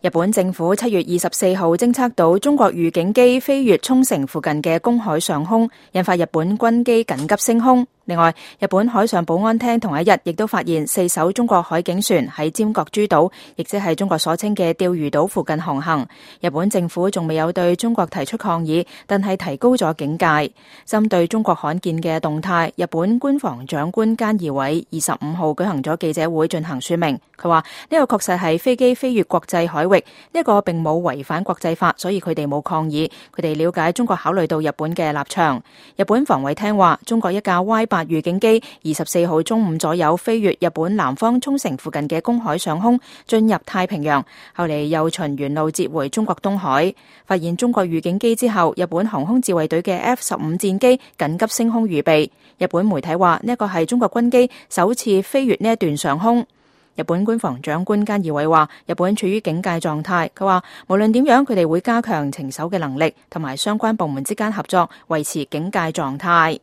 日本政府7月24號偵測到中國預警機飛越沖繩附近嘅公海上空，引發日本軍機緊急升空。另外，日本海上保安廳同一日亦都發現4艘中國海警船喺尖閣諸島，亦即係中國所稱嘅釣魚島附近航行。日本政府仲未有對中國提出抗議，但係提高咗警戒。針對中國罕見嘅動態，日本官房長官菅義偉25號舉行咗記者會進行說明。佢話呢個確實係飛機飛越國際海域，呢個並冇違反國際法，所以佢哋冇抗議。佢哋了解中國考慮到日本嘅立場。日本防衛廳話，中國一架 Y8預警機24號中午左右飛越日本南方沖繩附近嘅公海上空，進入太平洋，後嚟又循原路折回中國東海。發現中國預警機之後，日本航空自衛隊嘅 F-15戰機緊急升空預備。日本媒體話呢個係中國軍機首次飛越呢一段上空。日本官房長官菅義偉話，日本處於警戒狀態。佢話無論點樣，佢哋會加強情搜嘅能力，同埋相關部門之間合作，維持警戒狀態。